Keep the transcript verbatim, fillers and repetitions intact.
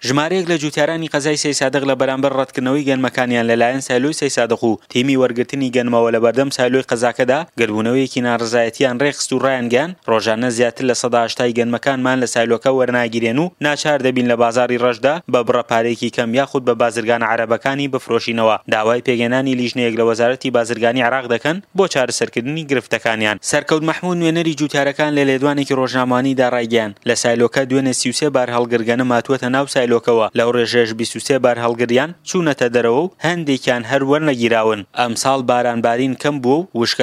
ژمارەیەک لە جوتیارانی قەزای سەیسادق لە بەرامبەر ڕەتکردنەوەی گەنمەکانیان لەلایەن سایلۆی سەیسادق و تیمی وەرگرتنی گەنمەوە لە بەردەم سایلۆی قەزاکەدا گردبوونەوەیەکی ناڕەزایەتیان ڕێکخست و ڕایانگەیاند ڕۆژانە زیاتر لە سەدا هەشتای گەنمەکانمان لە سایلۆکە وەرناگیرێن و ناچار دەبین لە بازاڕی ڕەشدا بە بڕە پارەیەکی کەم یاخود بە بازرگانە عەرەبەکانی بفرۆشینەوە. داوای پێکهێنانی لیژنەیەک لە وەزارەتی بازرگانی عێراق دەکەن بۆ چارەسەرکردنی گرفتەکانیان. سەرکەوت مەحمود نوێنەری جوتیارەکان لە لێدوانێکی ڕۆژنامەوانیدا ڕایگەیاند، لە سایلۆکە دوێنێ سی و سێ بارهەڵگر گەنم هاتووەتە ناو سایلۆکەوە، لەو ڕێژەیەش بیست و سێ بارهەڵگریان چوونەتە دەرەوە و هەندێکیان هەر وەرنەگیراون. ئەمساڵ بارانبارین کەم بووە و وشکە